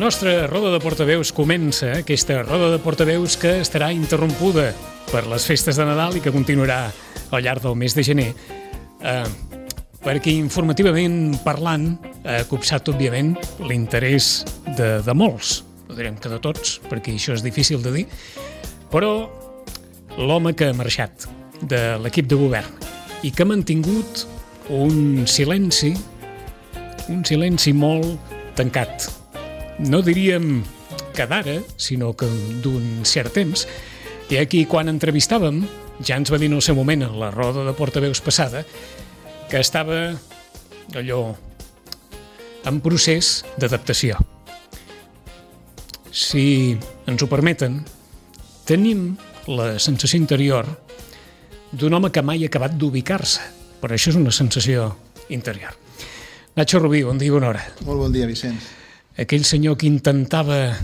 nostra roda de portaveus comença, aquesta roda de portaveus que estarà interrompuda per les festes de Nadal i que continuarà al llarg del mes de gener, perquè informativament parlant ha copsat, òbviament, l'interès de molts, no direm que de tots, perquè això és difícil de dir, però l'home que ha marxat de l'equip de govern i que ha mantingut un silenci molt tancat. No diríem que d'ara, sinó que d'un cert temps. I aquí, quan entrevistàvem, ja ens va dir en el seu moment, en la roda de portaveus passada, que estava allò en procés d'adaptació. Si ens ho permeten, tenim la sensació interior d'un home que mai ha acabat d'ubicar-se, però això és una sensació interior. Nacho Rubí, bon dia i bona hora. Molt bon dia, Vicenç. Aquell senyor que intentava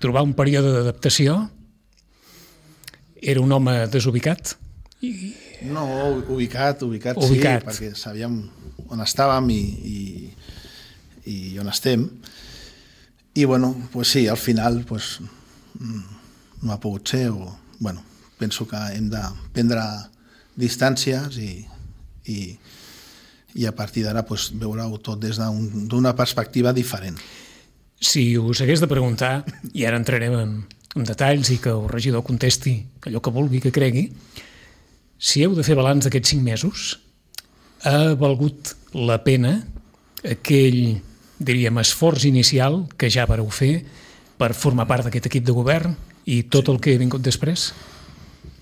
trobar un període d'adaptació era un home desubicat? No, ubicat, sí, perquè sabíem on estàvem i on estem. I, bueno, pues sí, al final pues, no ha pogut ser. Penso que hem de prendre distàncies i a partir d'ara pues, veure-ho tot des d'una perspectiva diferent. Si us hagués de preguntar, i ara entrarem en detalls i que el regidor contesti allò que vulgui, que cregui, si heu de fer balanç d'aquests 5 mesos, ha valgut la pena aquell, diríem, esforç inicial que ja vareu fer per formar part d'aquest equip de govern i tot el que ha vingut després?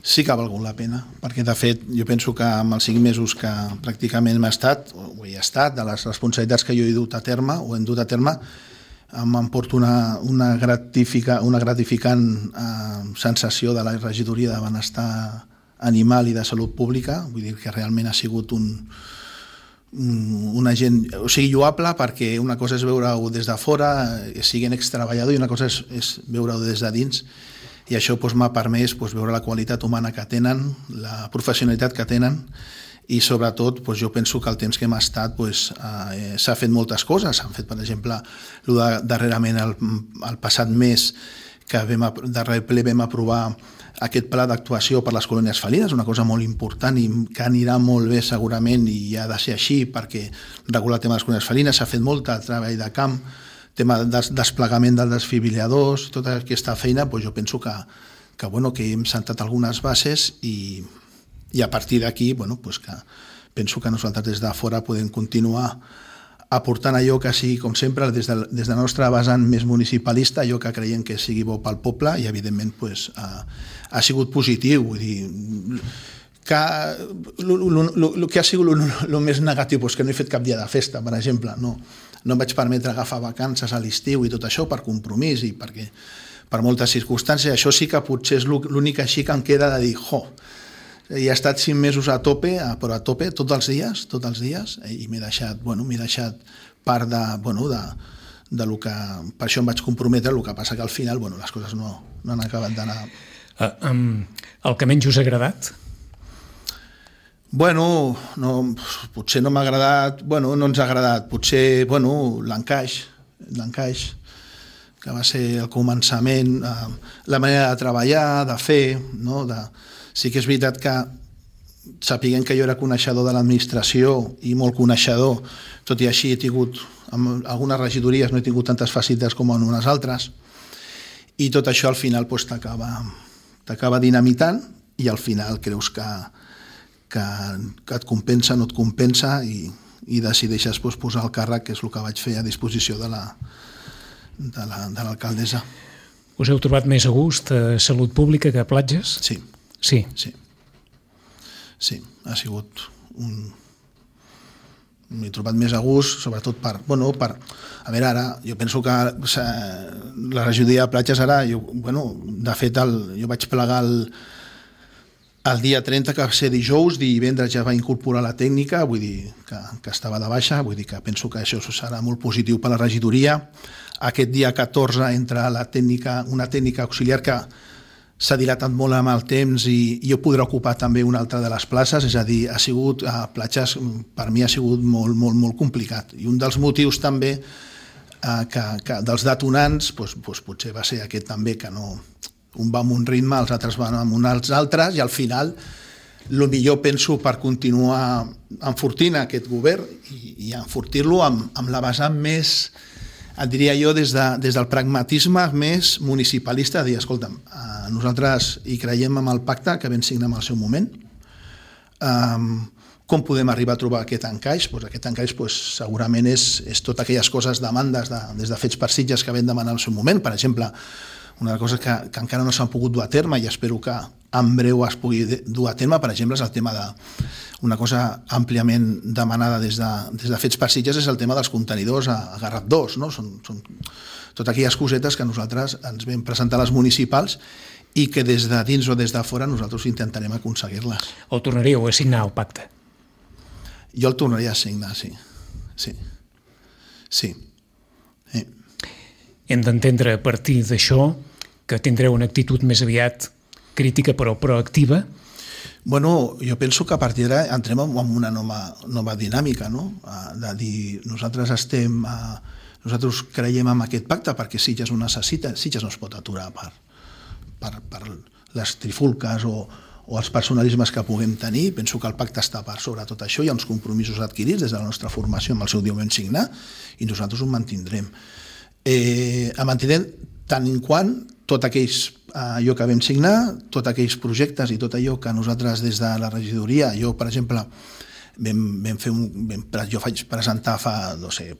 Sí que ha valgut la pena, perquè de fet jo penso que amb els 5 mesos que pràcticament m'ha estat, o he estat, de les responsabilitats que jo he dut a terme, o hem dut a terme, m'emporto una gratificant sensació de la regidoria de benestar animal i de salut pública. Vull dir que realment ha sigut un agent, o sigui, lloable, perquè una cosa és veure-ho des de fora, siguent extreballador, i una cosa és veure-ho des de dins, i això m'ha permès veure la qualitat humana que tenen, la professionalitat que tenen, i sobretot jo penso que el temps que hem estat s'ha fet moltes coses. S'han fet, per exemple, darrerament el passat mes que darrer ple vam aprovar aquest pla d'actuació per les colònies felines, una cosa molt important i que anirà molt bé segurament, i ha de ser així perquè regular el tema de les colònies felines. S'ha fet molt treball de camp, tema de desplegament dels desfibril·ladors, tota aquesta feina, jo penso que hem sentat algunes bases i a partir d'aquí que penso que nosaltres des de fora podem continuar aportant allò que sigui, com sempre, des de la nostra vessant més municipalista, allò que creiem que sigui bo pel poble, i evidentment ha sigut positiu. Vull dir, el que ha sigut el més negatiu, que no he fet cap dia de festa, per exemple, no em vaig permetre agafar vacances a l'estiu i tot això per compromís i perquè per moltes circumstàncies. Això sí que potser és l'únic així que em queda de dir, he estat 5 mesos a tope, però a tope tots els dies, i m'he deixat part de lo que per això em vaig comprometre. El que passa que al final les coses no han acabat d'anar. El que menys us ha agradat? Potser no m'ha agradat, no ens ha agradat, potser l'encaix, que va ser el començament, la manera de treballar, de fer, sí que és veritat que sapiguem que jo era coneixedor de l'administració i molt coneixedor, tot i així he tingut, amb algunes regidories no he tingut tantes facilitats com en unes altres, i tot això al final t'acaba dinamitant, i al final creus que et compensa, no et compensa, i decideixes posar el càrrec, que és el que vaig fer a disposició de l'alcaldessa. Us heu trobat més a gust a Salut Pública que a Platges? Sí. Sí, ha sigut m'he trobat més a gust, sobretot per... A veure, ara, jo penso que la regidoria de Platges ara, de fet, jo vaig plegar el dia 30, que va ser dijous, divendres ja va incorporar la tècnica, vull dir que estava de baixa, vull dir que penso que això serà molt positiu per a la regidoria. Aquest dia 14 entra una tècnica auxiliar que s'ha dilatat molt amb el temps i jo podré ocupar també una altra de les places, és a dir, a Platges per mi ha sigut molt, molt, molt complicat. I un dels motius també que dels detonants potser va ser aquest també, que no, un va amb un ritme, els altres van amb uns altres, i al final el millor penso per continuar enfortint aquest govern i enfortir-lo amb la vessant més, et diria jo, des del pragmatisme més municipalista, de dir, escolta'm, nosaltres hi creiem en el pacte que vam signar en el seu moment. Com podem arribar a trobar aquest encaix? Aquest encaix segurament és totes aquelles coses, demandes des de Fets per Sitges que vam demanar en el seu moment. Per exemple, una cosa que encara no s'han pogut dur a terme i espero que en breu es pugui dur a terme, per exemple, és el tema una cosa àmpliament demanada des de Fets per Sitges, és el tema dels contenidors a Garraf 2, no? Són totes aquelles cosetes que nosaltres ens vam presentar a les municipals i que des de dins o des de fora nosaltres intentarem aconseguir-les. O tornaríeu a signar el pacte? Jo el tornaria a signar, sí. Sí. Hem d'entendre a partir d'això que tindreu una actitud més aviat crítica però proactiva? Bueno, jo penso que a partir d'ara entrem en una nova dinàmica, no? De dir, nosaltres creiem en aquest pacte perquè Sitges ho necessita, Sitges no es pot aturar per les trifulques o els personalismes que puguem tenir. Penso que el pacte està per sobre tot això, hi ha uns compromisos adquirits des de la nostra formació amb el seu dia ho vam signar i nosaltres ho mantindrem. Mantindrem tant en quant tot allò que vam signar, tots aquells projectes i tot allò que nosaltres des de la regidoria, jo per exemple jo vaig presentar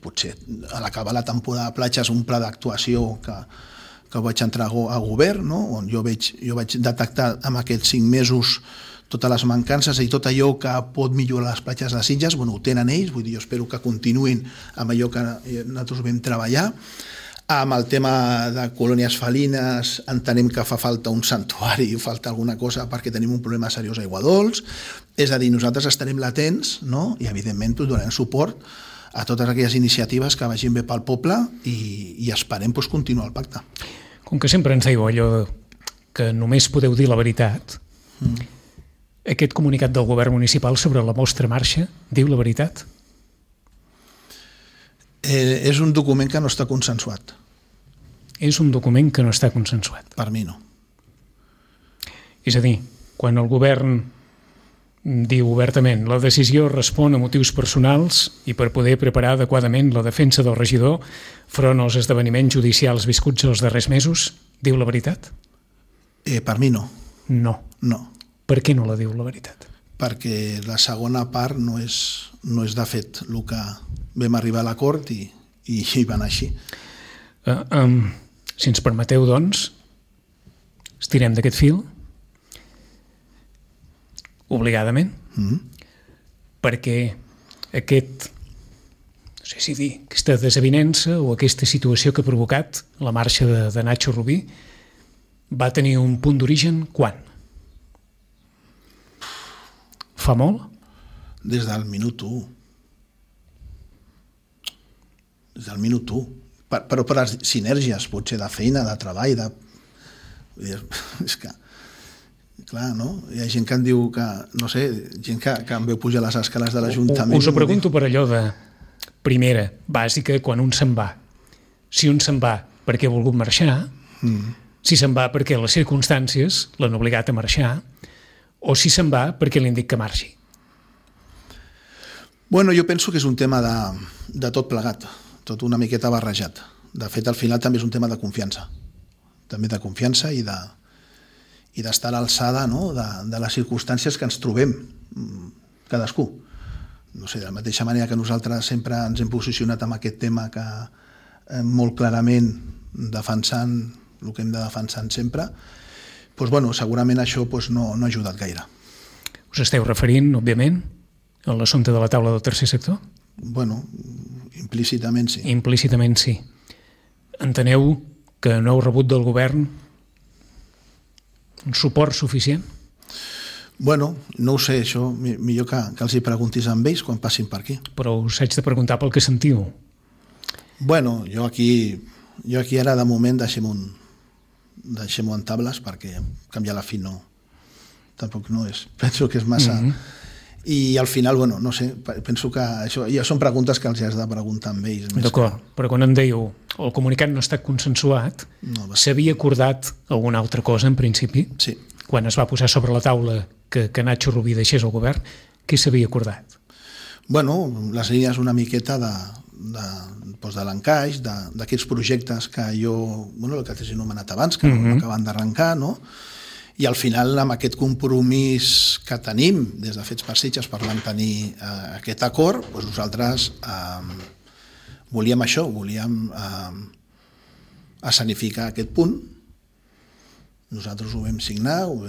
potser a l'acabar la temporada de platges un pla d'actuació que vaig entrar a govern, no? On jo vaig detectar en aquests 5 mesos totes les mancances i tot allò que pot millorar les platges de Sitges, ho tenen ells, vull dir, jo espero que continuïn amb allò que nosaltres vam treballar. Amb el tema de colònies felines entenem que fa falta un santuari, falta alguna cosa perquè tenim un problema seriós a Aiguadols, és a dir, nosaltres estarem latents, no? I evidentment donarem suport a totes aquelles iniciatives que vagin bé pel poble i esperem continuar el pacte. Com que sempre ens diu allò que només podeu dir la veritat, aquest comunicat del govern municipal sobre la vostra marxa diu la veritat? És un document que no està consensuat. És un document que no està consensuat. Per mi no. És a dir, quan el govern diu obertament la decisió respon a motius personals i per poder preparar adequadament la defensa del regidor front als esdeveniments judicials viscuts els darrers mesos, diu la veritat? Per mi no. No. Per què no la diu la veritat? Perquè la segona part no és de fet el que vam arribar a l'acord i va anar així. Si ens permeteu, doncs, estirem d'aquest fil, obligadament, perquè aquesta desavinença o aquesta situació que ha provocat la marxa de Nacho Rubí va tenir un punt d'origen quan? Fa molt? Des del minut 1. Des del minut 1. Però per les sinergies, potser de feina, de treball, és que, clar, no? Hi ha gent que em diu que, no sé, gent que em veu pujar les escales de l'Ajuntament. Us ho pregunto per allò de primera, bàsica, quan un se'n va. Si un se'n va perquè ha volgut marxar, si se'n va perquè les circumstàncies l'han obligat a marxar, o si se'n va perquè li han dit que marxi. Bueno, jo penso que és un tema de tot plegat, tot una miqueta barrejat. De fet, al final també és un tema de confiança. També de confiança i d'estar a l'alçada, no? de les circumstàncies que ens trobem cadascú. No sé, de la mateixa manera que nosaltres sempre ens hem posicionat en aquest tema que molt clarament defensant el que hem de defensar sempre, doncs, segurament això no ha ajudat gaire. Us esteu referint, òbviament, a l'assumpte de la taula del tercer sector? Bueno, implícitament sí. Implícitament sí. Enteneu que no heu rebut del govern un suport suficient? Bueno, no ho sé, això millor que els hi preguntis amb ells quan passin per aquí. Però us haig de preguntar pel que sentiu. Bueno, jo aquí ara de moment deixem-ho en tables perquè canviar la fi tampoc no és. Penso que és massa... I al final, bueno, no sé, penso que això ja són preguntes que els has de preguntar amb ells. D'acord, però quan em dèieu el comunicat no ha estat consensuat, s'havia acordat alguna altra cosa en principi? Sí. Quan es va posar sobre la taula que Nacho Rubí deixés el govern, què s'havia acordat? Bueno, les línies una miqueta de l'encaix, d'aquests projectes que jo, bueno, el que t'he anomenat abans, que acaben d'arrencar, no? I al final, amb aquest compromís que tenim des de Fets per Sitges per mantenir aquest acord, doncs nosaltres volíem això, volíem escenificar aquest punt. Nosaltres ho vam signar, ho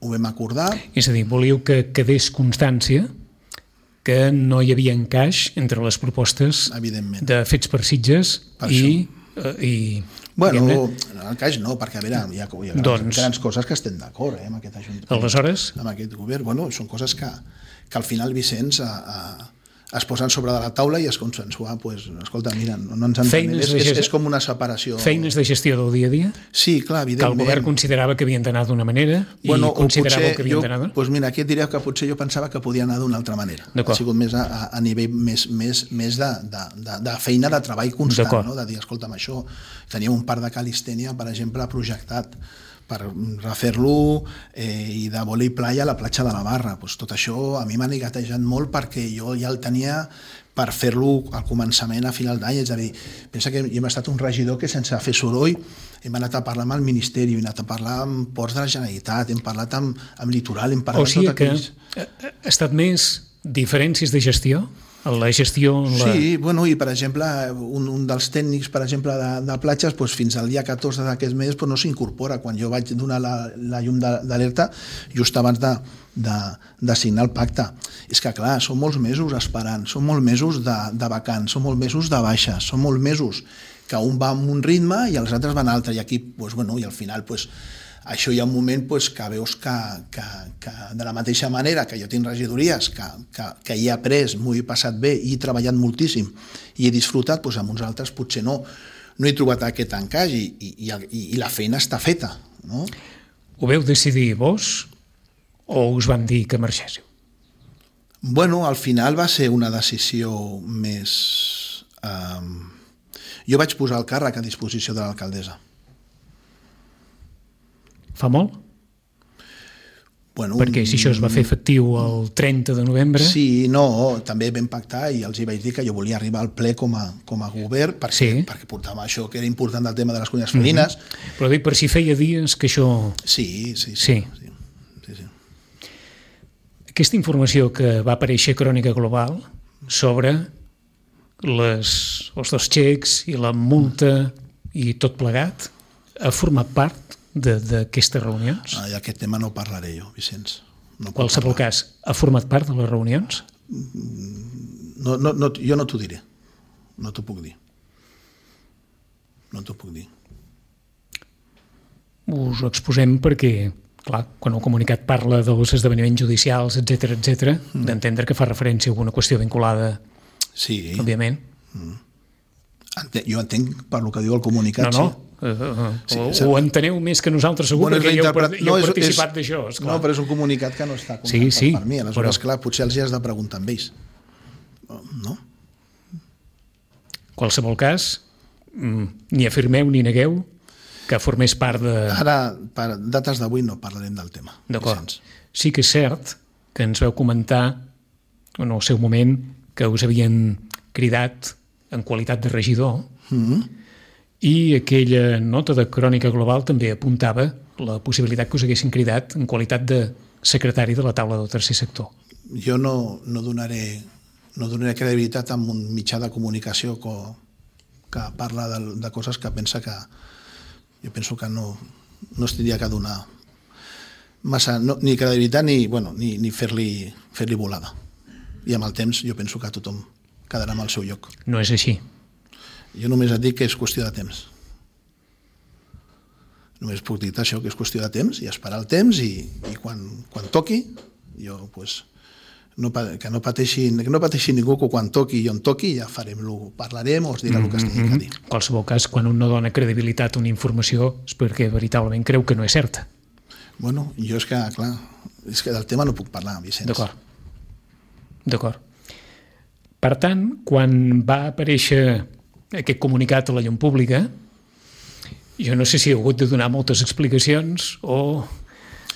vam acordar. És a dir, volíeu que quedés constància que no hi havia encaix entre les propostes de Fets per Sitges i bueno, el cas no, perquè a veure, hi ha grans coses que estem d'acord amb aquest ajuntament. Aleshores? Amb aquest govern. Bueno, són coses que al final, Vicenç, es posen sobre de la taula i es consensua, pues, escolta, mira, no ens entenem. És com una separació. Feines de gestió del dia a dia? Sí, clar, evidentment. Que el govern considerava que havien d'anar d'una manera i considerava que havien d'anar d'una? Doncs mira, aquí et diré que potser jo pensava que podia anar d'una altra manera. Ha sigut més a nivell més de feina, de treball constant, no? De dir, escolta'm, això, teníem un parc de calistènia, per exemple, projectat per refer-lo i de vòlei playa a la platja de la Barra. Pues tot això a mi m'ha negatejat molt perquè jo ja el tenia per fer-lo al començament, a final d'any. És a dir, pensa que hem estat un regidor que sense fer soroll hem anat a parlar amb el Ministeri, hem anat a parlar amb Ports de la Generalitat, hem parlat amb Litoral, hem parlat amb tot aquells... Ha estat més diferències de gestió? La gestió... Sí, bueno, i per exemple, un dels tècnics, per exemple, de platges, doncs fins al dia 14 d'aquest mes no s'incorpora. Quan jo vaig donar la llum d'alerta, just abans de signar el pacte. És que, clar, són molts mesos esperant, són molts mesos de vacants, són molts mesos de baixes, són molts mesos que un va amb un ritme i els altres van a altre. I aquí, doncs, bueno, i al final, doncs, això hi ha un moment que veus que de la mateixa manera que jo tinc regidories, que hi he après, m'ho he passat bé i he treballat moltíssim i he disfrutat, doncs amb uns altres potser no he trobat aquest encaix i la feina està feta. No? Ho veu decidir vos o us van dir que marxéssiu? Bueno, al final va ser una decisió més... Jo vaig posar el càrrec a disposició de l'alcaldessa. Fa molt? Bueno, perquè si això es va fer efectiu el 30 de novembre... Sí, no, també vam pactar i els hi vaig dir que jo volia arribar al ple com a govern perquè portava això que era important del tema de les colònies felines. Però dic, per si feia dies que això... Sí. Aquesta informació que va aparèixer a Crònica Global sobre els dos xecs i la multa i tot plegat ha format part d'aquestes reunions? I aquest tema no parlaré jo, Vicenç. Qualsevol cas, ha format part de les reunions? Jo no t'ho diré. No t'ho puc dir. Us ho exposem perquè, clar, quan el comunicat parla dels esdeveniments judicials, etc., d'entendre que fa referència a alguna qüestió vinculada, òbviament. Jo entenc per el que diu el comunicat. No. Ho enteneu més que nosaltres segur, perquè hi heu participat d'això. No, però és un comunicat que no està contractat per mi. Aleshores, clar, potser els hi has de preguntar amb ells. No? Qualsevol cas, ni afirmeu ni negueu que formés part de... Ara, per dates d'avui no parlarem del tema. D'acord. Sí que és cert que ens vau comentar en el seu moment que us havien cridat en qualitat de regidor i aquella nota de Crònica Global també apuntava la possibilitat que us haguessin cridat en qualitat de secretari de la taula del tercer sector. Jo no donaré credibilitat a un mitjà de comunicació que parla de coses que pensa que jo penso que no es tindria que donar massa, ni credibilitat ni fer-li volada. I amb el temps jo penso que tothom quedarà amb el seu lloc. No és així. Jo només et dic que és qüestió de temps. Només puc dir això, que és qüestió de temps, i esperar el temps, i quan toqui, jo, pues, que no pateixi ningú, que quan toqui i on toqui ja parlarem o us dirà el que es tingui que dir. En qualsevol cas, quan un no dona credibilitat a una informació és perquè veritablement creu que no és certa. Bueno, jo és que, clar, és que del tema no puc parlar, Vicenç. D'acord. D'acord. Per tant, quan va aparèixer aquest comunicat a la llum pública, jo no sé si heu hagut de donar moltes explicacions o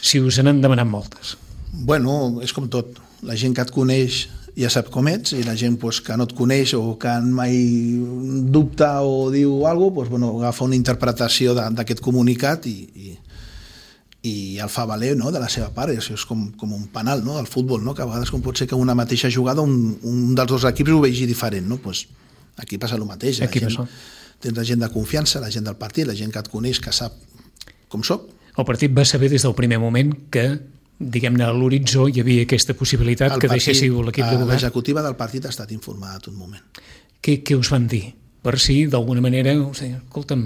si us n'han demanat moltes. Bueno, és com tot. La gent que et coneix ja sap com ets, i la gent que no et coneix o que mai dubta o diu alguna cosa, agafa una interpretació d'aquest comunicat i el fa valer, no?, de la seva part. Això és com un penal, no?, del futbol, no?, que a vegades com pot ser que una mateixa jugada un dels dos equips ho vegi diferent, no? Pues aquí passa el mateix. Tens la gent de confiança, la gent del partit, la gent que et coneix, que sap com soc. El partit va saber des del primer moment que, diguem-ne, a l'horitzó hi havia aquesta possibilitat que deixéssiu l'equip de govern. L'executiva del partit ha estat informada a tot moment. Què us van dir? Per si, d'alguna manera, escolta'm,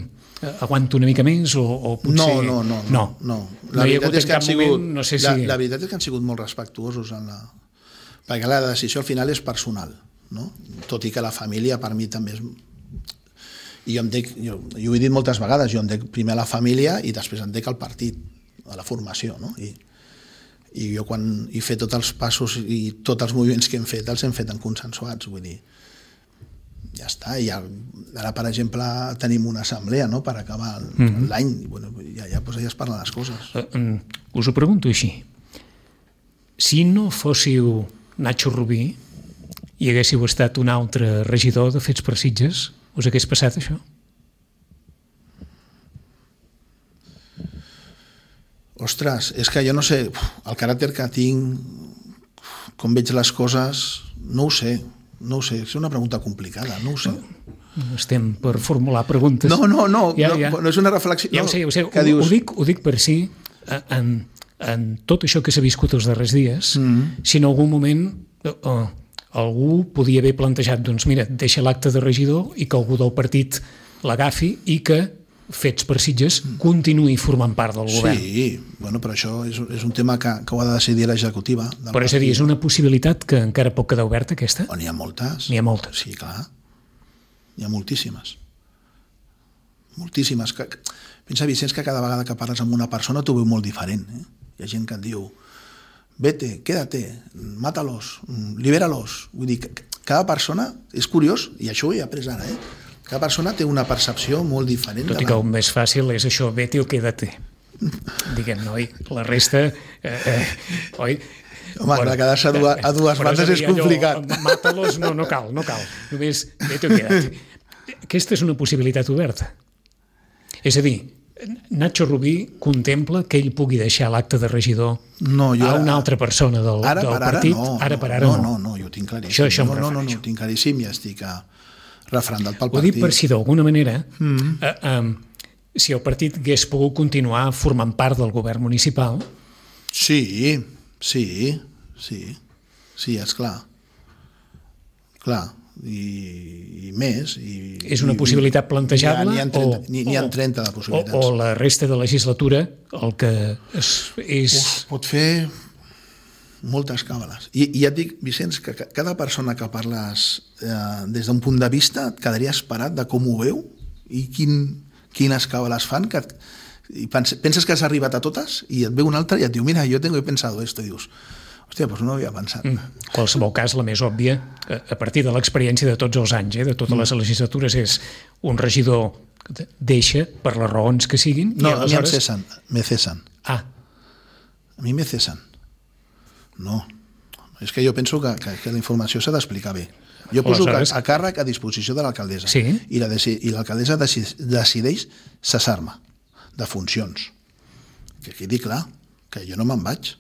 aguanto una mica més o potser... No. La veritat és que han sigut molt respectuosos perquè la decisió al final és personal, no? Tot i que la família per mi també és... I jo ho he dit moltes vegades, jo em dec primer a la família i després em dec al partit, a la formació, no? I jo quan he fet tots els passos i tots els moviments que hem fet, els hem fet en consensuats, vull dir, ja està. I ara, per exemple, tenim una assemblea, no?, per acabar l'any, ja es parlen les coses. Us ho pregunto així. Si no fóssiu Nacho Rubí i haguéssiu estat un altre regidor de Fets per Sitges, us hagués passat això? Ostres, és que jo no sé, el caràcter que tinc, com veig les coses, no ho sé, és una pregunta complicada, no ho sé. No estem per formular preguntes. No és una reflexió. Ja ho sé, ho dic per si, en tot això que s'ha viscut els darrers dies, si en algun moment algú podia haver plantejat, doncs mira, deixa l'acte de regidor i que algú del partit l'agafi i que Fets per Sitges continuï formant part del govern. Sí, però això és un tema que ho ha de decidir l'executiva. Però és a dir, és una possibilitat que encara pot quedar oberta, aquesta? N'hi ha moltes. N'hi ha moltes. Sí, clar. N'hi ha moltíssimes. Moltíssimes. Pensa, Vicenç, que cada vegada que parles amb una persona t'ho veu molt diferent. Hi ha gent que et diu vete, quédate, mátalos, libéralos. Vull dir, cada persona, és curiós, i això ho he après ara, cada persona té una percepció molt diferent. Tot i que el més fàcil és això, vete o quédate. Diguem-ne, oi? La resta, oi? Home, clar, quedar-se a dues bandes és complicat. Mátalos, no cal. Només vete o quédate. Aquesta és una possibilitat oberta. És a dir, Nacho Rubí contempla que ell pugui deixar l'acte de regidor a una altra persona del partit? Ara per ara no. No, jo ho tinc claríssim. Això em refereixo. No, ho tinc claríssim i estic refrendat pel partit. Ho dic per si d'alguna manera, si el partit hagués pogut continuar formant part del govern municipal... Sí, és clar. Clar, i més. És una possibilitat plantejar-la? N'hi ha 30 de possibilitats. O la resta de legislatura el que és... Pot fer moltes càbales. I ja et dic, Vicenç, que cada persona que parles des d'un punt de vista et quedaria esperat de com ho veu i quines càbales fan, i penses que has arribat a totes i et veu un altre i et diu, mira, jo he pensado esto, i dius, hòstia, doncs no ho havia pensat. En qualsevol cas, la més òbvia, a partir de l'experiència de tots els anys, de totes les legislatures, és un regidor que deixa per les raons que siguin. No, a mi em cessen, me cessen. A mi me cessen. No, és que jo penso que la informació s'ha d'explicar bé. Jo poso a càrrec a disposició de l'alcaldessa, i l'alcaldessa decideix cessar-me de funcions. Que quedi clar, que jo no me'n vaig.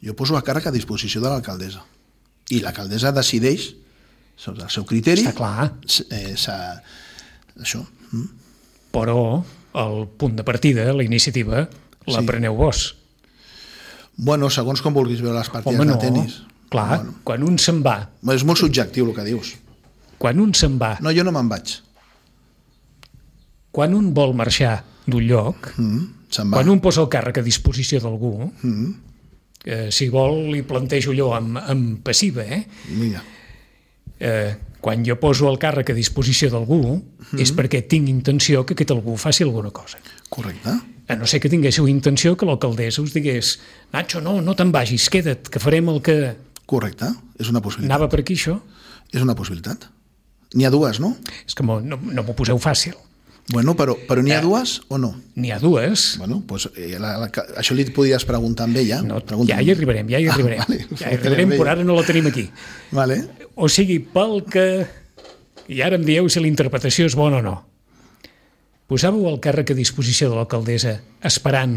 Jo poso a càrrec a disposició de l'alcaldessa. I l'alcaldessa decideix, sobre el seu criteri... Està clar. Això. Però el punt de partida, la iniciativa, la preneu vos. Bueno, segons com vulguis veure les partides de tenis. Clar, quan un se'n va... És molt subjectiu el que dius. Quan un se'n va... No, jo no me'n vaig. Quan un vol marxar d'un lloc, quan un posa el càrrec a disposició d'algú, si vol li plantejo allò amb passiva, Mira. Quan jo poso el càrrec a disposició d'algú és perquè tinc intenció que aquest algú faci alguna cosa. Correcte. A no ser que tinguéssiu intenció que l'alcaldessa us digués Nacho, no te'n vagis, queda't, que farem el que... Correcte. És una possibilitat. Anava per aquí, això? És una possibilitat. N'hi ha dues, no? És que no m'ho poseu fàcil. Bueno, però n'hi ha dues o no? N'hi ha dues. Bueno, doncs això li podries preguntar amb ella. No, ja hi arribarem. Vale, Ja hi arribarem, però ara no la tenim aquí. Vale. O sigui, pel que... I ara em dieu si la interpretació és bona o no. Posàveu el càrrec a disposició de l'alcaldessa esperant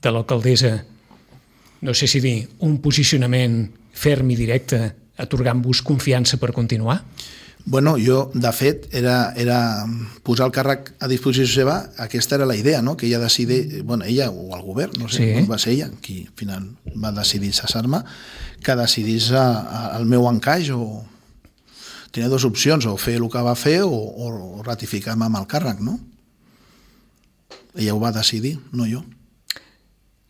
de l'alcaldessa, no sé si dir, un posicionament ferm i directe, atorgant-vos confiança per continuar? Bueno, jo, de fet, era posar el càrrec a disposició seva, aquesta era la idea, no? Que ella decidís, bueno, ella o el govern, no sé, sí. Va ser ella qui al final va decidir cessar-me, que decidís el meu encaix o... Tenia dues opcions, o fer el que va fer o ratificar-me amb el càrrec, no? Ella ho va decidir, no jo.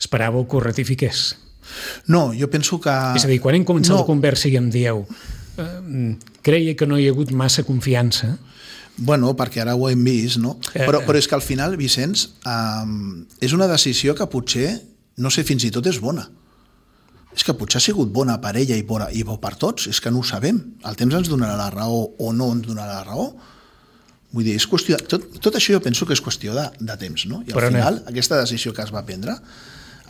Esperàveu que ho ratifiqués? No, jo penso que... És a dir, quan hem començat la conversa i em dieu creia que no hi ha hagut massa confiança. Bueno, perquè ara ho hem vist, no? Però és que al final, Vicenç, és una decisió que potser, no sé, fins i tot és bona. És que potser ha sigut bona per ella i bo per tots, és que no ho sabem. El temps ens donarà la raó o no ens donarà la raó. Vull dir, és qüestió... Tot això jo penso que és qüestió de temps, no? I al final, aquesta decisió que es va prendre,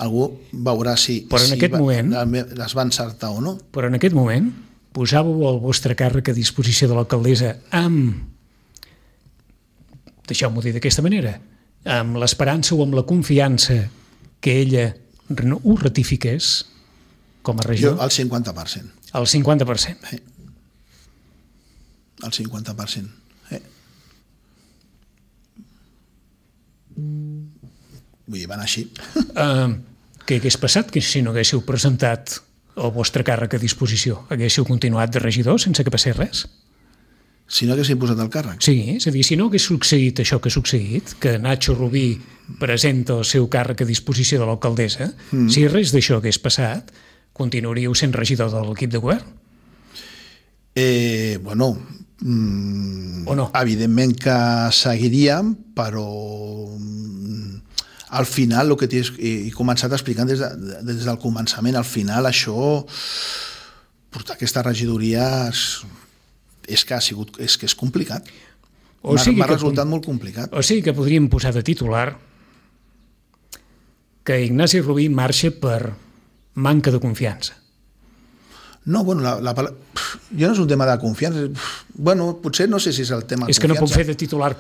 algú veurà si es va encertar o no. Però en aquest moment posàveu el vostre càrrec a disposició de l'alcaldessa amb, deixeu-m'ho dir d'aquesta manera, amb l'esperança o amb la confiança que ella ho ratifiqués com a regidor? Jo, el 50%. El 50%? El 50%. Vull dir, van així. Què hagués passat que si no haguéssiu presentat el vostre càrrec a disposició? Haguéssiu continuat de regidor sense que passés res? Si no haguéssim posat el càrrec? Sí, és a dir, si no hagués succeït això que ha succeït, que Nacho Rubí presenta el seu càrrec a disposició de l'alcaldessa, si res d'això hagués passat, continuaríeu sent regidor de l'equip de govern? Bueno, o no? Evidentment que seguiríem, però al final, el que he començat explicant des del començament, al final això, portar aquesta regidoria és que és complicat. M'ha resultat molt complicat. O sigui que podríem posar de titular que Ignasi Rubí marxa per manca de confiança. No, bueno, jo no és un tema de confiança. Bueno, potser no sé si és el tema de confiança. És que no puc fer de titular...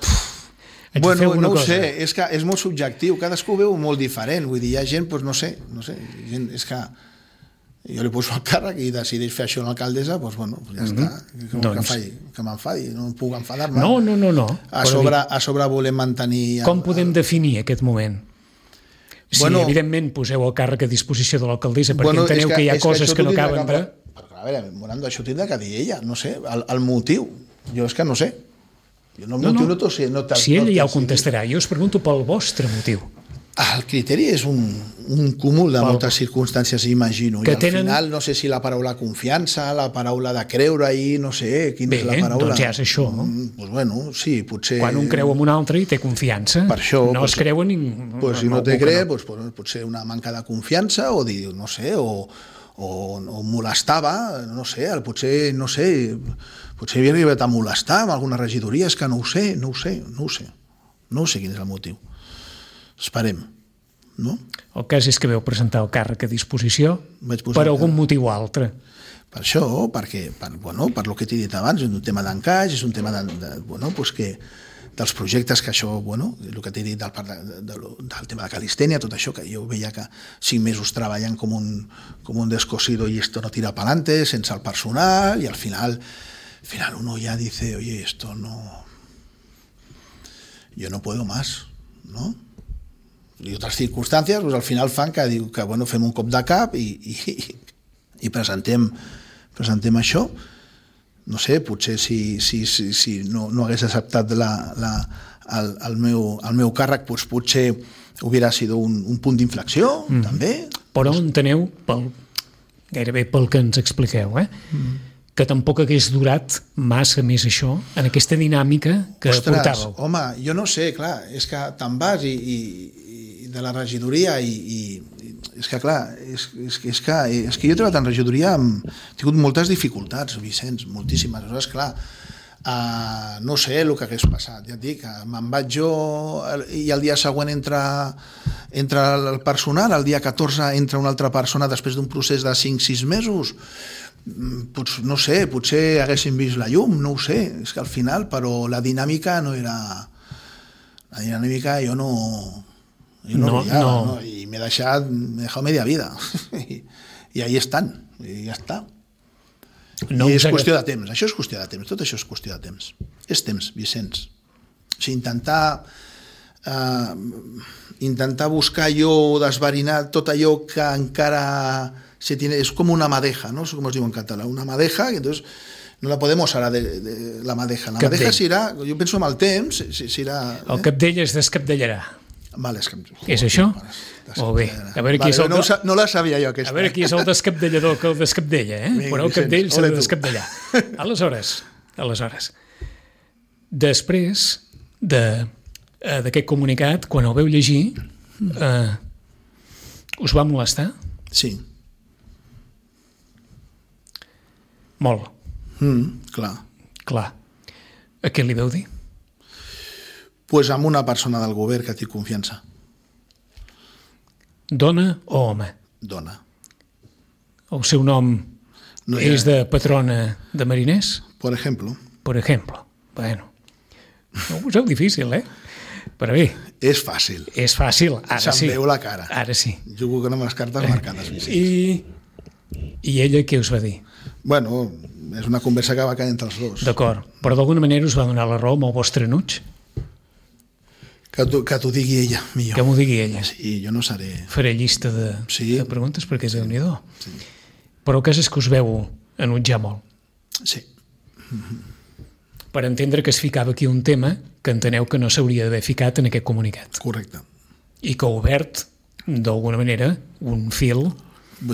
Bueno, no ho sé, és que és molt subjectiu, cadascú ho veu molt diferent, vull dir, hi ha gent, doncs no sé, gent, és que jo li poso el càrrec i decideix fer això a l'alcaldessa, doncs bueno, ja està, que m'enfadi, no puc enfadar-me. No. A sobre volem mantenir... Com podem definir aquest moment? Si evidentment poseu el càrrec a disposició de l'alcaldessa perquè enteneu que hi ha coses que no acaben de... A veure, Morando, això tindrà que dir ella, no sé, el motiu, jo és que no sé. Si ella ja ho contestarà, jo us pregunto pel vostre motiu. El criteri és un cúmul de moltes circumstàncies, imagino, i al final no sé si la paraula confiança, la paraula de creure-hi, no sé quina és la paraula. Doncs ja és això. Doncs bueno, sí, potser... Quan un creu en un altre i té confiança, no es creu en ningú. Si no té creu, potser una manca de confiança, o dir, no sé, o molestava, no sé, potser, no sé, potser havia arribat a molestar amb alguna regidoria, és que no ho sé quin és el motiu. Esperem, no? El cas és que veu presentar el càrrec a disposició per algun motiu altre. Per això, per el que t'he dit abans, és un tema d'encaix, és un tema dels projectes que això, el que t'he dit del tema de calistènia, tot això, que jo veia que 5 mesos treballant com un descosido y esto no tira para adelante, sense el personal, y al final uno ya dice, oye, esto no... Yo no puedo más, ¿no? I altres circumstàncies, al final fan que fem un cop de cap i presentem això. No sé, potser si no hagués acceptat el meu càrrec, potser hauria sido un punt d'inflexió, també. Però enteneu, gairebé pel que ens expliqueu, que tampoc hagués durat massa més això, en aquesta dinàmica que portàveu. Home, jo no sé, clar, és que te'n vas i de la regidoria i és que clar, és que jo he treballat en regidoria, he tingut moltes dificultats, Vicenç, moltíssimes. Aleshores, clar, no sé el que hagués passat, ja et dic, me'n vaig jo i el dia següent entra el personal, el dia 14 entra una altra persona després d'un procés de 5-6 mesos, no sé, potser haguéssim vist la llum, no ho sé, és que al final, però la dinàmica no era... La dinàmica jo no brillava, ¿no? Y me he dejado media vida y ahí están, y ya está. No, I és qüestió de temps, això és qüestió de temps, tot això és qüestió de temps. És temps, Vicenç. O sigui, intentar buscar allò, desverinar tot allò que encara se tiene, és com una madeja, ¿no? Com es diu en català, una madeja, que entonces no la podemos ara de la madeja. La madeja serà, jo penso en el temps, serà... El capdell es descapdellarà. Vale, és això? Molt bé. A veure qui és el... No la sabia jo, aquesta. A veure qui és el descapdellador que el descapdella, però el capdell s'ha de descapdellar. Aleshores, després d'aquest comunicat, quan el veu llegir, us va molestar? Sí. Molt. Clar. A què li veu dir? Pues amb una persona del govern que té confiança. Dona o home? Dona. El seu nom és de patrona de mariners? Por ejemplo. Bueno, no ho poseu difícil, Però bé. És fàcil. Ara sí. Se'm veu la cara. Ara sí. Jugo amb les cartes marcades, Vicenç. I ella què us va dir? Bueno, és una conversa que va caer entre els dos. D'acord, però d'alguna manera us va donar la raó amb el vostre enuig? Que t'ho digui ella, millor. Que m'ho digui ella. Sí, jo no seré... Faré llista de preguntes perquè és Déu-n'hi-do. Sí. Però el cas és que us veu enutjar molt. Sí. Per entendre que es ficava aquí un tema que enteneu que no s'hauria d'haver ficat en aquest comunicat. Correcte. I que ha obert, d'alguna manera, un fil...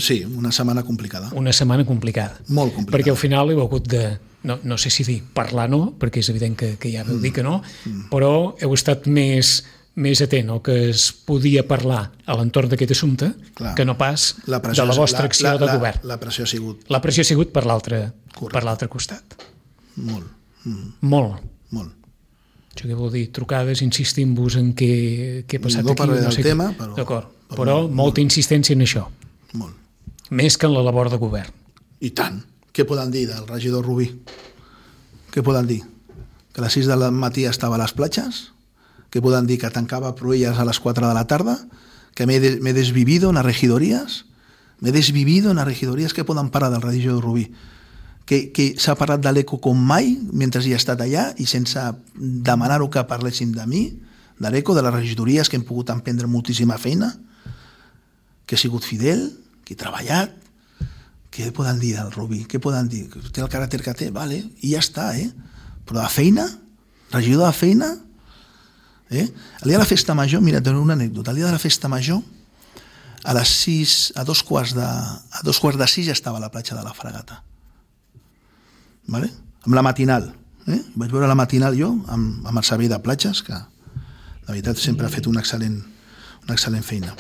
Sí, una setmana complicada. Una setmana complicada. Molt complicada. Perquè al final heu hagut de... No sé si dir parlar no, perquè és evident que ja vau dir que no, però heu estat més atent al que es podia parlar a l'entorn d'aquest assumpte que no pas de la vostra acció de govern. La pressió ha sigut... La pressió ha sigut per l'altre costat. Molt. Això què vol dir? Trucades insistint-vos en què ha passat aquí? No parlaré del tema, però... D'acord, però molta insistència en això. Molt. Més que en la labor de govern. I tant. Què poden dir del regidor Rubí? Què poden dir? Que a les 6 del matí estava a les platges? Què poden dir? Que tancava Proelles a les 4 de la tarda? Que me he desvivido en las regidorías? Què poden parar del regidor Rubí? Que s'ha parlat de l'ECO com mai mentre hi ha estat allà i sense demanar-ho que parléssim de mi, de l'ECO, de les regidories, que hem pogut emprendre moltíssima feina, que he sigut fidel, que he treballat. Què poden dir del Rubí? Què poden dir? Té el caràcter que té, vale, i ja està, Però de feina? Regidor de feina? El dia de la festa major, mira, t'ho una anècdota, el dia de la festa major, a les 6, a dos quarts de 6 ja estava a la platja de la Fragata. Vale? Amb la matinal. Vaig veure la matinal jo, amb el servei de platges, que la veritat sempre ha fet una excel·lent feina.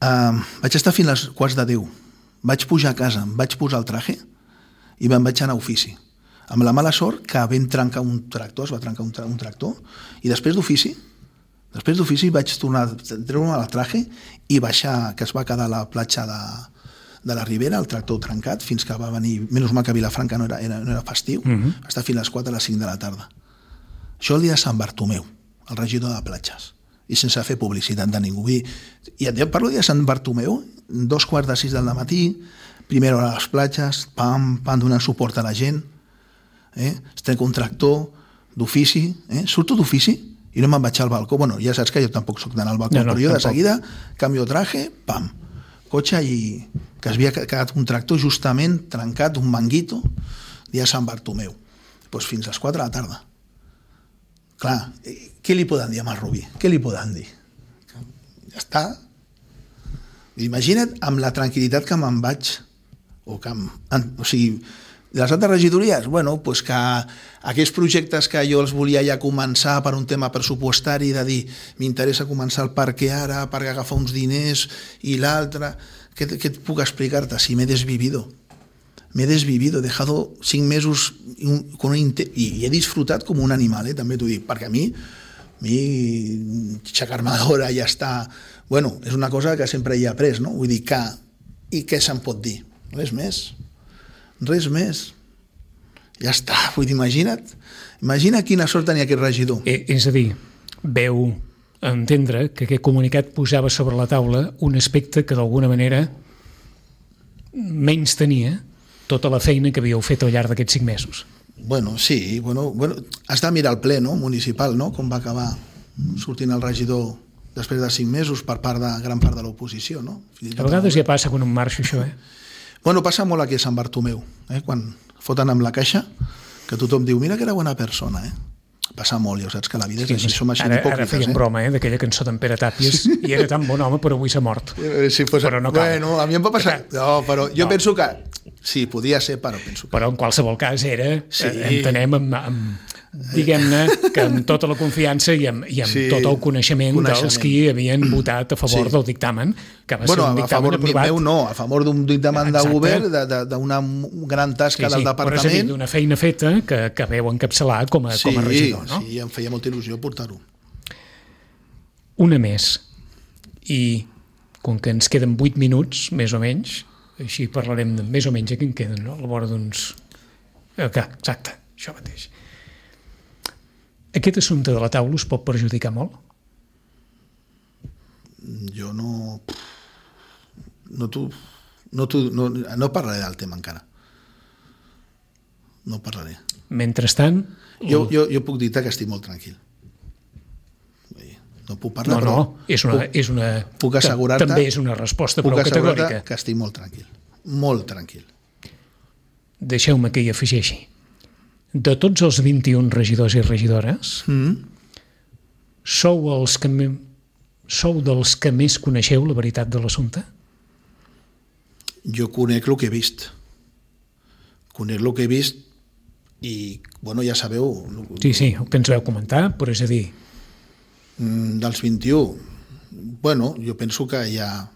Vaig estar fins als quarts de 10. Vaig pujar a casa, em vaig posar el traje i me'n vaig anar a ofici. Amb la mala sort que vam trencar un tractor, es va trencar un tractor, i després d'ofici vaig tornar a treure el traje i baixar, que es va quedar a la platja de la Ribera, el tractor trencat, fins que va venir, menys mal que Vilafranca no era festiu, va estar fins a les 4 a les 5 de la tarda. Això el dia de Sant Bartomeu, el regidor de platges, i sense fer publicitat de ningú. I et parlo de Sant Bartomeu, 2:45 del matí, primera hora a les platges, pam, donant suport a la gent, es trenca un tractor d'ofici, surto d'ofici i no me'n vaig al balcó. Bueno, ja saps que jo tampoc soc d'anar al balcó, però jo de seguida canvio traje, pam, cotxe, i que es havia quedat un tractor justament trencat, un manguito, dia de Sant Bartomeu. Doncs fins a les 4 de la tarda. Clar, què li poden dir a Rubí? Què li poden dir? Ja està. Imagina't amb la tranquil·litat que me'n vaig, o sigui, De les altres regidories, bueno, pues que aquells projectes que jo els volia ja començar per un tema pressupostari, de dir, m'interessa començar el parc ara, perquè agafar uns diners i l'altre, què et puc explicar-te? Si m'he desvivido, he dejado 5 mesos con y he disfrutat com un animal, també t'ho dic, perquè a mi aixecar-me d'hora ja està... Bueno, és una cosa que sempre hi he après, no? Vull dir que... I què se'n pot dir? Res més. Ja està, vull dir, imagina quina sort tenia aquest regidor. És a dir, veu entendre que aquest comunicat posava sobre la taula un aspecte que d'alguna manera menys tenia tota la feina que havíeu fet al llarg d'aquests 5 mesos. Bueno, sí, has de mirar el ple municipal, no? Com va acabar sortint el regidor després de 5 mesos per part de gran part de l'oposició, no? A vegades ja passa quan em marxo això, Bueno, passa molt aquí a Sant Bartomeu, quan foten amb la caixa, que tothom diu, mira que era bona persona, Passa molt, ja saps que la vida és així, som així d'hipòcrites. Ara feien broma, d'aquella cançó d'en Pere Tàpies, i era tan bon home, però avui s'ha mort. Sí, pues, però no cal. Bueno, a mi em va passar... No, però jo penso que... Sí, podia ser, però penso que... Però en qualsevol cas era, entenem, diguem-ne, que amb tota la confiança i amb tot el coneixement dels qui havien votat a favor del dictamen, que va ser un dictamen aprovat... Meu no, a favor d'un dictamen de govern, d'una gran tasca del departament... Però és a dir, d'una feina feta que veu encapçalar com a regidor, no? Sí, em feia molta il·lusió portar-ho. Una més. I com que ens queden 8 minuts, més o menys, així parlarem de més o menys que en queden, no? A la vora d'uns... Exacte, això mateix. Aquest assumpte de la taula us pot perjudicar molt? Jo no parlaré del tema encara. No parlaré. Mentrestant... Jo puc dir-te que estic molt tranquil. No puc parlar, és una puc assegurar-te, també és una resposta prou categòrica. Que estic molt tranquil. Molt tranquil. Deixeu-me que hi afegeixi. De tots els 21 regidors i regidores, sou dels que més coneixeu la veritat de l'assumpte? Jo conec el que he vist. I, bueno, ja sabeu... Sí, el que ens vau comentar, però és a dir... Dels 21, bueno, jo penso que hi ha...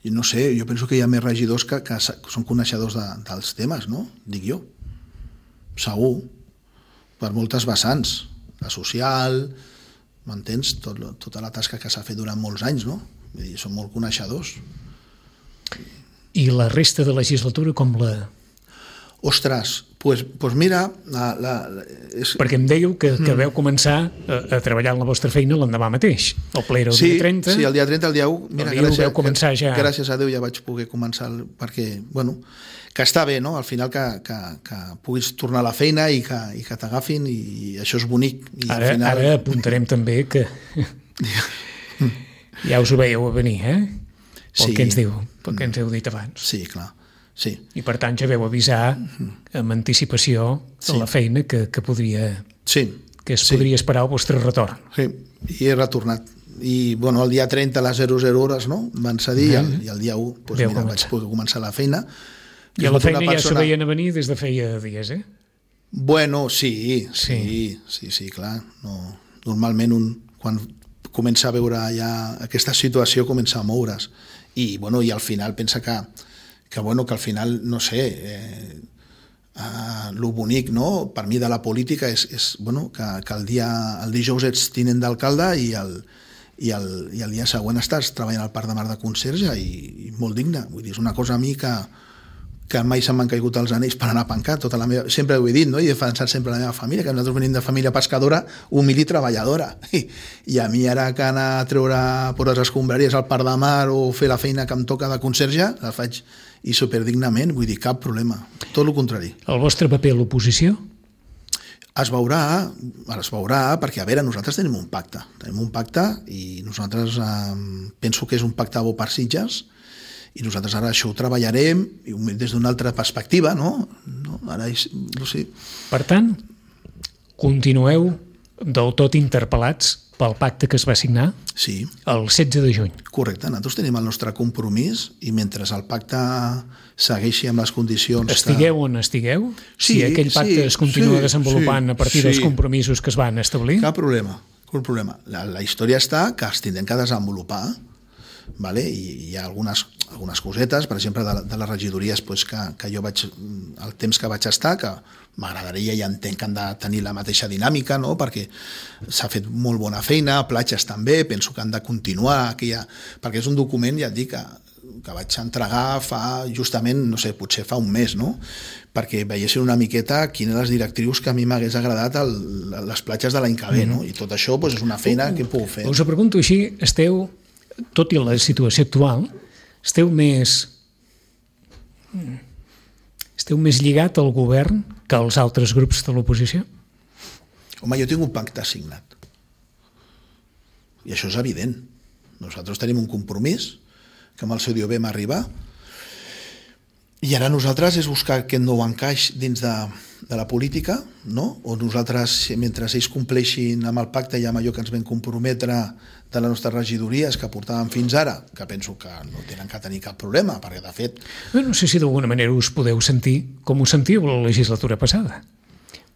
No sé, jo penso que hi ha més regidors que són coneixedors dels temes, no? Dic jo. Segur. Per moltes vessants. La social, m'entens? Tota la tasca que s'ha fet durant molts anys, no? Vull dir, són molt coneixedors. I la resta de legislatura com la... Ostres, pues mira... Perquè em dèieu que vau començar a treballar en la vostra feina l'endemà mateix. El ple era el dia 30. Sí, el dia 30, el dia 1. Mira, vau començar ja... Gràcies a Déu ja vaig poder començar, perquè, bueno, que està bé, no? Al final que puguis tornar a la feina i que t'agafin, i això és bonic. I ara apuntarem també que ja us ho veieu a venir, Pel que ens diu, pel que ens heu dit abans. Sí, clar. Sí. I per tant ja veu avisar amb anticipació la feina que podria podria esperar el vostre retorn. Sí, i he retornat. I bueno, el dia 30 a les 00 hores, no? Van cedir, i el dia 1 doncs, mira, vaig poder començar la feina. I a la feina ja s'ho veien a venir des de feia dies, Bueno, sí, clar. No, normalment quan comença a veure ja aquesta situació comença a moure's. I al final pensa que al final, no sé, lo bonic, no?, per mi de la política és que el dijous ets tinent d'alcalde i el dia següent estàs treballant al Parc de Mar de Conserge i molt digne. Vull dir, és una cosa a mi que mai se m'han caigut els anells per anar a pencar. Sempre ho he dit, no?, i he defensat sempre la meva família, que nosaltres venim de família pescadora, humil i treballadora. I a mi ara que anar a treure per les escombraries al Parc de Mar o fer la feina que em toca de conserge, la faig i superdignament, vull dir, cap problema. Tot el contrari. El vostre paper a l'oposició? Es veurà, perquè, a veure, nosaltres tenim un pacte i nosaltres penso que és un pacte bo per Sitges, i nosaltres ara això ho treballarem des d'una altra perspectiva, no? Ara, no sé. Per tant, continueu del tot interpel·lats pel pacte que es va signar Sí, el 16 de juny. correcte. Nosaltres tenim el nostre compromís i mentre el pacte segueixi amb les condicions... Estigueu on estigueu, Sí, si aquell pacte sí, es continua sí, desenvolupant sí, a partir dels sí. compromisos que es van establir... Cap problema. La història està que els tindrem que desenvolupar, vale? I hi ha algunes cosetes, per exemple, de les regidories pues, que jo vaig, el temps que vaig estar, que m'agradaria i entenc que han de tenir la mateixa dinàmica, no? Perquè s'ha fet molt bona feina, platges també, penso que han de continuar, perquè és un document, ja et dic, que vaig entregar fa justament, no sé, potser fa un mes, no? Perquè veiessin una miqueta quines les directrius que a mi m'hagués agradat les platges de l'any que ve, no? I tot això pues, és una feina que puc fer. Us ho pregunto així, esteu, tot i la situació actual, esteu més lligat al govern que als altres grups de l'oposició? Home, jo tinc un pacte signat. I això és evident. Nosaltres tenim un compromís que amb el seu dia vam arribar i ara nosaltres és buscar aquest nou encaix dins de la política, no? O nosaltres, mentre ells compleixin amb el pacte i amb allò que ens vam comprometre de les nostres regidories que portàvem fins ara, que penso que no tenen que tenir cap problema, perquè de fet... No sé si d'alguna manera us podeu sentir com us sentíeu la legislatura passada.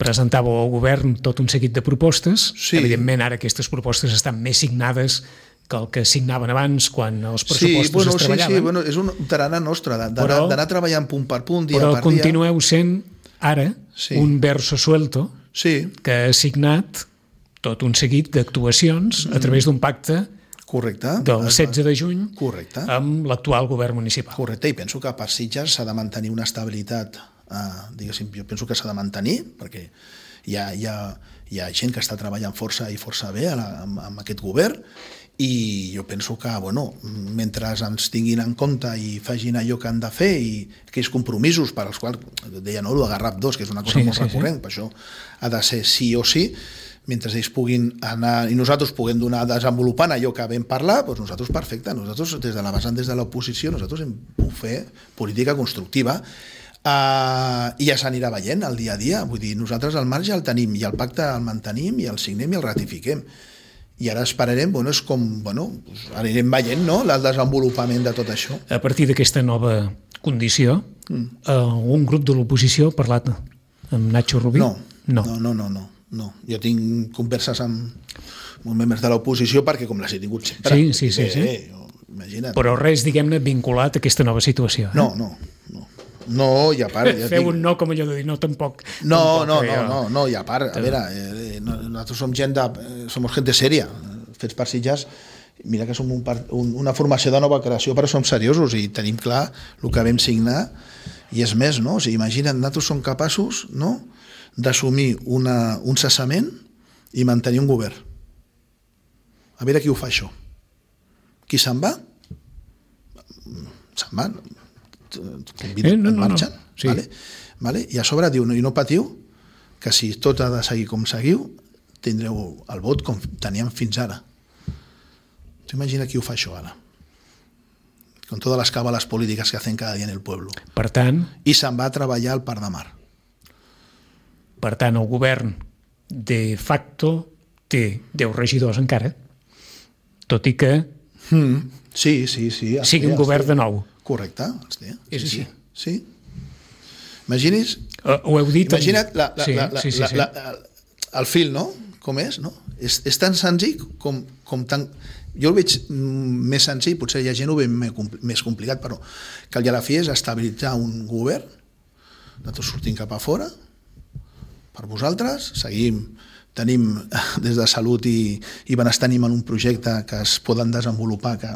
Presentàveu al govern tot un seguit de propostes, Sí. Evidentment ara aquestes propostes estan més signades que el que signaven abans quan els pressupostos es treballaven. És un tarannà nostre, d'anar treballant punt per punt, dia però per dia. continueu sent ara un verso suelto que ha signat tot un seguit d'actuacions a través d'un pacte Correcte. del 16 de juny Correcte. amb l'actual govern municipal. Correcte, i penso que per Sitges s'ha de mantenir una estabilitat, diguéssim, jo penso que s'ha de mantenir, perquè hi ha gent que està treballant força i força bé amb aquest govern, i jo penso que, bueno, mentre ens tinguin en compte i facin allò que han de fer i aquells compromisos per als quals, deia, no, el de Garraf 2, que és una cosa molt recurrent, per això ha de ser sí o sí, mentre ells puguin anar i nosaltres puguem donar desenvolupant allò que vam parlar, doncs nosaltres perfecte, nosaltres des de la vessant, des de l'oposició, nosaltres hem pogut fer política constructiva i ja s'anirà veient el dia a dia, vull dir, nosaltres el marge el tenim i el pacte el mantenim i el signem i el ratifiquem. I ara esperarem, és com, anirem veient, no?, el desenvolupament de tot això. A partir d'aquesta nova condició, un grup de l'oposició ha parlat amb Nacho Rubí? No. Jo tinc converses amb membres de l'oposició perquè com les he tingut sempre. Sí. Imagina't. Però res, diguem-ne, vinculat a aquesta nova situació. No, i a part... Feu un no com allò de dir no, tampoc. No, i a part, a veure, nosaltres som gente sèria, fets per Sitges, mira que som una formació de nova creació, però som seriosos i tenim clar el que vam signar, i és més, no? O sigui, imagina't, nosaltres som capaços, no?, d'assumir un cessament i mantenir un govern. A veure qui ho fa, això. Qui se'n va? Se'n va, marxen, sí. Vale? I a sobre diu, i no patiu, que si tot ha de seguir com seguiu, tindreu el vot com teníem fins ara. Imagina qui ho fa això ara, con todas las cábalas políticas que hacen cada día en el pueblo. Per tant... I se'n va a treballar al Parc de Mar. Per tant, el govern de facto té 10 regidors encara, tot i que Sí. sigui un govern de nou. Correcte, els té. És així. Sí. Imagini's... Ho heu dit... Imagina't el fil, no? Com és, no? És tan senzill com tan... Jo el veig més senzill, potser hi ha gent ho ve més complicat, però que al a la fi és estabilitzar un govern, nosaltres sortim cap a fora, per vosaltres, tenim des de salut i benestar en un projecte que es poden desenvolupar, que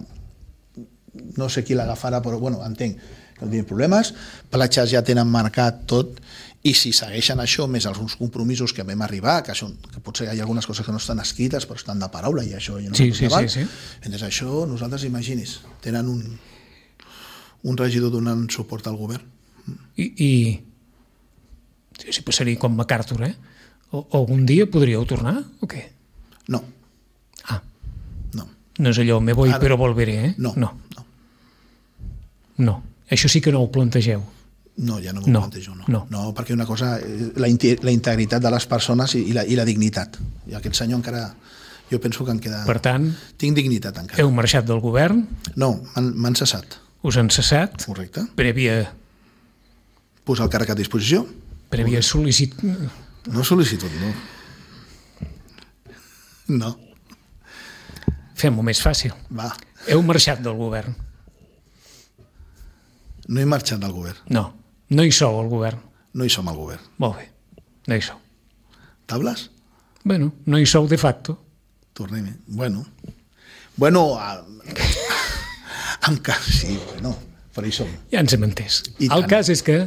no sé qui l'agafarà, però entenc que no tenim problemes, platges ja tenen marcat tot, i si segueixen això, més alguns compromisos que vam arribar, que potser hi ha algunes coses que no estan escrites, però estan de paraula, i això ja no sí. Entonces això, nosaltres, imaginis, tenen un regidor donant suport al govern. I si passaria com MacArthur, algun dia podríeu tornar, o què? No. No és allò, me voy però volveré, No. Això sí que no ho plantegeu. No, ja no m'ho plantejo, no, perquè una cosa, la integritat de les persones i la dignitat. I aquest senyor encara, Jo penso que en queda... Per tant, tinc dignitat encara. heu marxat del govern, No, m'han cessat. us han cessat, Correcte. prèvia Posar el càrrec a disposició. sol·licitud... No sol·licitud, no. No, Fem-ho més fàcil. va. Heu marxat del govern. No he marxat del govern. No hi sou al govern. No hi som al govern. Molt bé, no hi sou. Tables? Bueno, no hi sou de facto. Tornem-hi. Bueno, sí, bueno, però hi som. Ja ens hem entès. I El tant. cas és que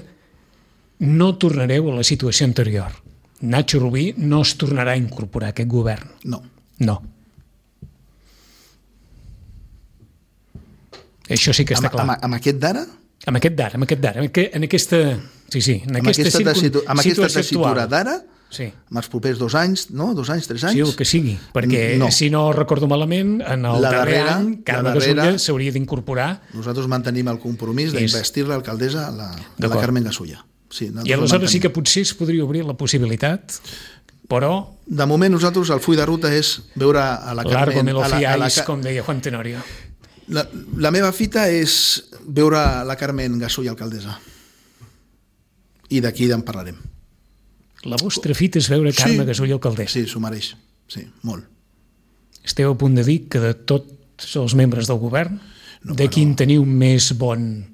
no tornareu a la situació anterior. Nacho Rubí no es tornarà a incorporar a aquest govern. No. No. Això sí que està clar. Amb aquest d'ara? Amb aquest d'ara, en aquesta... Sí, en aquesta situació tessitura actual. d'ara, Sí. amb els propers 2 anys, no? 2 anys, 3 anys? Sí, el que sigui, perquè No. si no recordo malament, en el La darrer darrera- any, Carme la darrera- Gasulla s'hauria d'incorporar Nosaltres mantenim el compromís d'investir l'alcaldessa, la D'acord. Carmen Gasulla. Sí, i aleshores sí que potser es podria obrir la possibilitat, però De moment nosaltres el full de ruta és veure a la largo Carmen... me lo a la- fiáis, com deia Juan Tenorio. La meva fita és veure la Carmen Gasulla alcaldessa. I d'aquí en parlarem. La vostra fita és veure Carme Gasulla alcaldessa. Sí, s'ho mereix. Sí, molt. Esteu a punt de dir que de tots els membres del govern, No, de quin teniu més bon...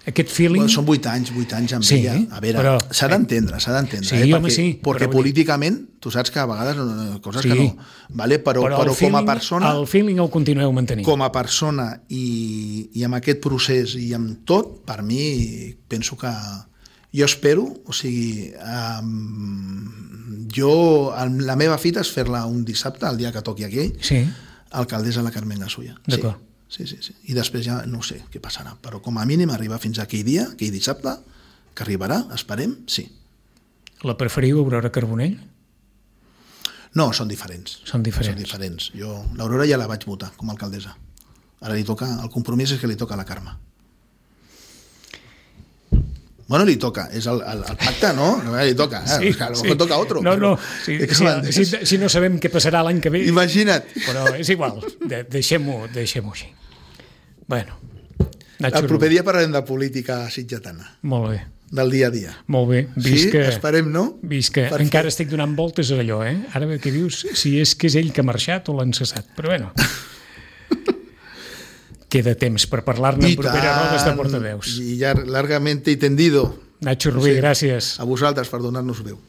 Aquest feeling... Bueno, són 8 anys amb Sí, ella. A veure, però- s'ha d'entendre. Sí, perquè, home, sí, perquè però- políticament, tu saps que a vegades coses Sí. que no... Vale? Però el com a feeling- persona... El feeling el continueu mantenint. Com a persona i amb aquest procés i amb tot, per mi penso que jo espero, o sigui, la meva fita és fer-la un dissabte, el dia que toqui aquell, Sí, alcaldessa la Carmen Gasulla. D'acord. Sí. I després ja no sé què passarà, però com a mínim arribar fins a aquell dia, aquell dissabte, que arribarà, esperem, sí. la preferiu, Aurora Carbonell? No, són diferents. Són diferents. Són diferents. Jo l'Aurora ja la vaig votar com a alcaldessa. Ara li toca, el compromís és que li toca a la Carme. Bueno, li toca, és el pacte, no? No li toca, Sí, a lo mejor toca otro. No, però- si no sabem què passarà l'any que ve, Imagina't. però és igual, deixem-ho així. Bueno, Nacho El proper Rubí. dia parlarem de política sitgetana, Molt bé, del dia a dia. molt bé. Sí, esperem, no? Vist que Perquè- encara estic donant voltes a allò, eh? Ara que dius si és que és ell que ha marxat o l'han cessat. Però bueno, queda temps per parlar-ne en properes rodes de portaveus. I ja largamente y tendido. Nacho Rubí, gràcies. A vosaltres per donar-nos veu.